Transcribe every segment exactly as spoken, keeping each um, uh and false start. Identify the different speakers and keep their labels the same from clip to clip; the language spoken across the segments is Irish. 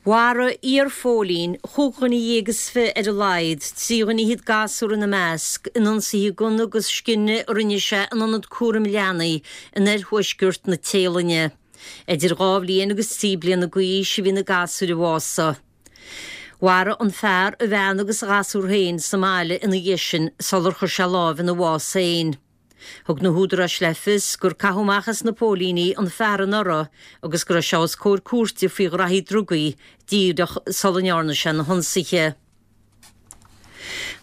Speaker 1: Mharaigh iarphóilín chúig dhuine dhéag is fiche ar a laghad, trí dhuine fhichead gasúr ina measc, in ionsaithe gunna agus scine a rinne sé in ionad cúraim leanaí in oirthuaisceart na Téalainne. Idir dhá bhliain agus trí bliana d'aois a bhí na gasúir a bhásaigh. Mharaigh an fear a bhean agus a ghasúr féin sa mbaile ina dhiaidh sin sular chuir sé lámh ina bhás féin. Thug na húdaráis le fios gur caitheadh amach as na póilíní an fear anuraidh agus go raibh sé os comhair cúirte faoi ghraithí drugaí díreach sula ndearna sé na hionsaithe.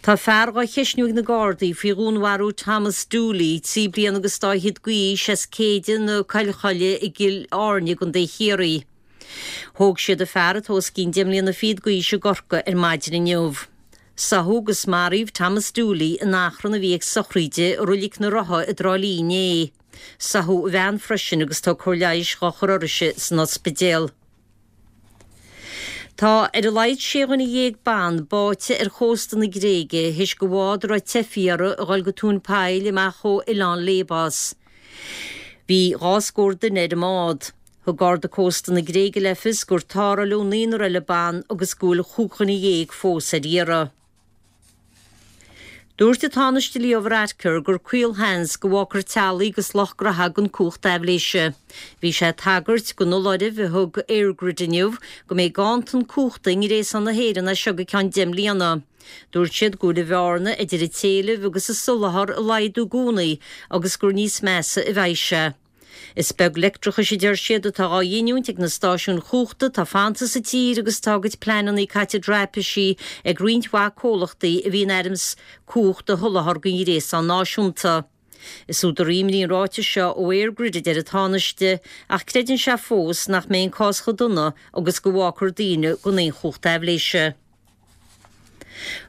Speaker 1: Tá fear á cheisniú ag na Gardaí faoi dhúnmharú Thomas Dooley, trí bliana agus dá fhichead d'aois as Céide na Coilchoille i gCill Airne i gContae Chiarraí. Thóg siad an fear atá os cionn deich mbliana fichead d'aois i gCorcaigh ar maidin inniu. Sáthadh agus maraíodh Thomas Dooley in achrann a bhí ag sochraid i Reilig na Rotha i dTrá Lí inné. Sáthadh a bhean freisin agus tá cóir leighis dhá chur uirthise san ospidéal. Tá ar a laghad sé dhuine dhéag ban báite ar chósta na Gréige théis do bhád a raibh teifigh orthu a dhul go tóin poill amach ó oileán Lesbos. Bhí dhá scór duine ar an mbád. Thug Garda Cósta na Gréige le fios gur tarrtháladh naonúr eile ban agus go bhfuil chúig dhuine dhéag fós ar iarraidh. Dúirt an Tánaiste Leo Varadkar gur caolsheans go bhfágfar teaghlaigh agus lucht graithe gan cumhacht aibhléise. Bhí sé ag tagairt don fholáireamh a thug EirGrid inniu go mbeidh ganntan cumhachta i ngréasán na hÉireann as seo go ceann deich mbliana. Dúirt siad go bhfuil an bhearna idir an t-éileamh agus an soláthar ag laghdú i gcónaí agus gur níos measa a bheidh sé. Is beag leictreachais a deir siad atá á ghiniúint ag na stáisiúin chumhachta atá fanta sa tír agus tá a gcuid pleananna caite i dtraipisí ag roinnt mhaith comhlachtaí a bhí in ainm is cumhacht a sholáthar don ghréasán náisiúnta. Is údar imní an ráiteas seo ó EirGrid a deir an Tánaiste, ach creideann sé fós nach mbeidh an cás chomh dona agus go bhfágfar daoine gan aon chumhacht aibhléise.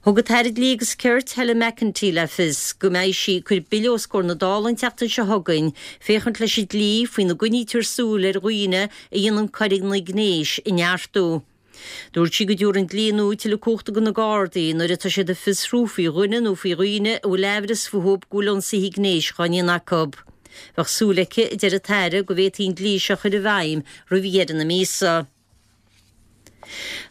Speaker 1: Thug an tAire Dlí agus Cirt Helen McEntee le fios go mbeidh sí ag cur bille os comhair na Dála an tseachtain seo chugainn féachaint leis an dlí faoina gcoinnítear súil ar dhaoine a dhéanann coireanna gnéis a neartú. Dúirt sí go dtabharfaidh an dlí nua tuilleadh cumhachta do na Gardaí nuair atá siad ag fiosrú faoi dhuine nó faoi dhaoine a bhfuil aimhreas fúthu go bhfuil ionsaithe gnéis dhá ndéanamh acu. Bheadh súil aici, a deir an tAire, go bhféadfaí an dlí seo a chur i bhfeidhm roimh dheireadh na míosa.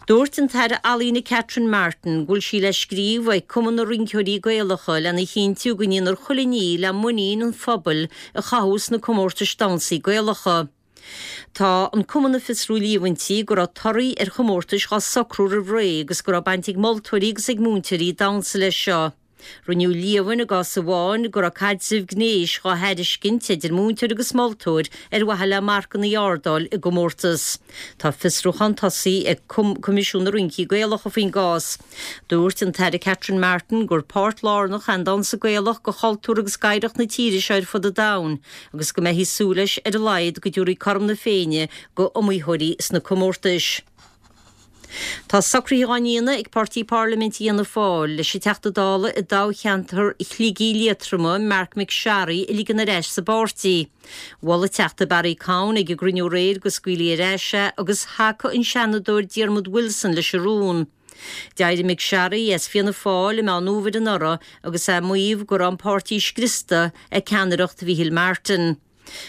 Speaker 1: Dúirt an tAire Ealaíne Catherine Martin go bhfuil sí le scríobh ag Cumann na Rinceoirí Gaelacha lena chinntiú go ndéanfar chuile ní le muinín an phobail a chothú sna comórtais damhsaí Gaelacha. Tá an Cumann ag fiosrú líomhaintí go raibh torthaí ar chomórtais dhá socrú roimh ré agus go raibh baint ag moltóirí agus ag múinteoirí damhsa leis seo. Rinneadh líomhain i gcás amháin go raibh caidreamh gnéis dhá thairiscint idir múinteoir agus moltóir ar mhaithe le marcanna a ardáil i gcomórtas. Tá fiosrúchán tosaithe ag Coimisiún na Rincí Gaelacha faoin gcás. Dúirt an tAire Catherine Martin gur páirt lárnach é an damhsa Gaelach de chultúr agus d'oidhreacht na tíre seo ar fud an domhain agus go mbeifí ag súil leis ar a laghad go dtabharfaí cothrom na Féinne go iomaitheoirí sna comórtais. Tá socruithe dhá ndéanamh ag Páirtí Parlaiminte Fhianna Fáil leis an Teachta Dála i dtoghcheantar Shligigh Liatroma, Marc MacSharry, a ligean ar ais sa bpáirtí. Mhol an Teachta Barry Cowen ag an gcruinniú aréir go scaoilfí ar ais é agus thacaigh an Seanadóir Diarmuid Wilson leis an rún. D'éirigh MacSharry as Fianna Fáil i Meán Fhómhair anuraidh agus é ag maíomh go raibh an páirtí scriosta ag ceannaireacht Mhichíl Martin.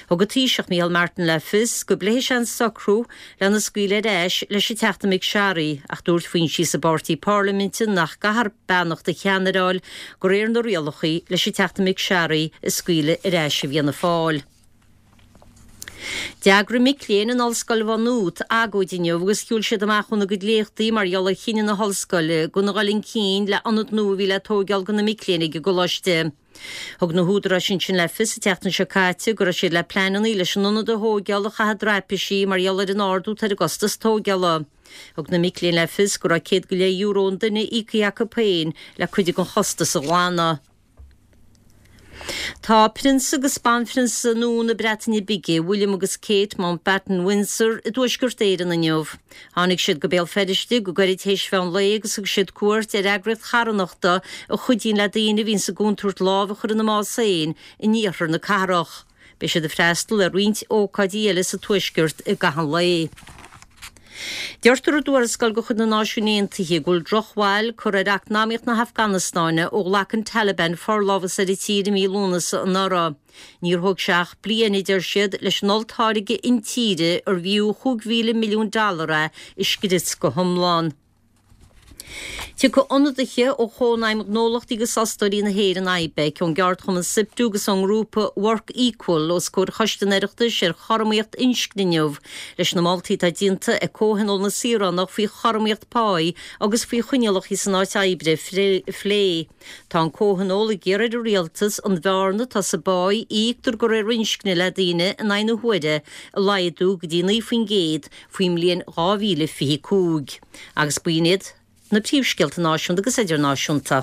Speaker 1: Thug an Taoiseach Micheál Martin le fios go bpléifidh sé an socrú lena scaoileadh ar ais leis an Teachta MacSharry ach dúirt foinsí sa bpáirtí parlaiminte nach gcaithfear beannacht an cheannaire a fháil de réir na rialacha leis an Teachta MacSharry a scaoileadh ar ais i bhFianna Fáil. D'eagraigh mic léinn in Ollscoil Mhá Nuad agóid inniu agus shiúil siad amach óna gcuid léachtaí mar gheall ar chinneadh na hollscoile gan a dhul chun cinn le ionad nua a bhí le tóigeáil do na mic léinn ag an gcoláiste. Thug na húdaráis ansin le fios an tseachtain seo caite go raibh siad le pleananna leis an ionad a thóigeáil a chaitheamh i dtraipisí mar gheall ar an ardú atá ar an gcostas tóigeála. Thug na mic léinn le fios go raibh céad go leith euro an duine íoctha acu féin le cuid den chostas a ghlanadh. Tá Prionsa agus Banphrionsa nua na Breataine Bige, William agus Kate Mountbatten-Windsor, i dTuaisceart Éireann inniu. Tháinig siad go Béal Feirste go gairid théis mheán lae agus thug siad cuairt ar eagraíocht charthanachta a chuidíonn le daoine a bhíonn sa gcontúirt lámh a chur ina mbás féin in iarthar na cathrach. Beidh siad ag freastal ar roinnt ócáidí eile sa Tuaisceart i gcaitheamh an lae. Deirtear i dtuarascáil de chuid na Náisiún Aontaithe go bhfuil drochbhail curtha ar eacnamaíocht na hAfganastáine ó ghlac an Taliban forlámhas ar an tír i mí Lúnasa anuraidh. Níor thóg sé ach bliain a deir siad leis an olltáirgeadh intíre arbh fhiú chúig mhíle milliún dollar é a scrios go hiomlán. Tiocfaidh ionadaithe ó Chónaidhm Gnólachtaí agus Fhostóirí na hÉireann IBEC, ón gceardchumann SIPTU agus ón ngrúpa Work Equal os comhair Choiste an Oireachtais ar chothromaíocht inscne inniu leis na moltaí atá déanta ag Comhthionól na Saoránach faoi chothromaíocht páí agus faoi choinníollacha san áit oibre a phlé. Tá an Comhthionól ag iarraidh ar an rialtas an bhearna atá sa bpá a íoctar de réir inscne le daoine in aghaidh na huaire a laghdú go dtí naoi faoin gcéad faoin mbliain dhá mhíle fiche cúig. Agus b'in iad na príomhscéalta náisiúnta agus idirnáisiúnta.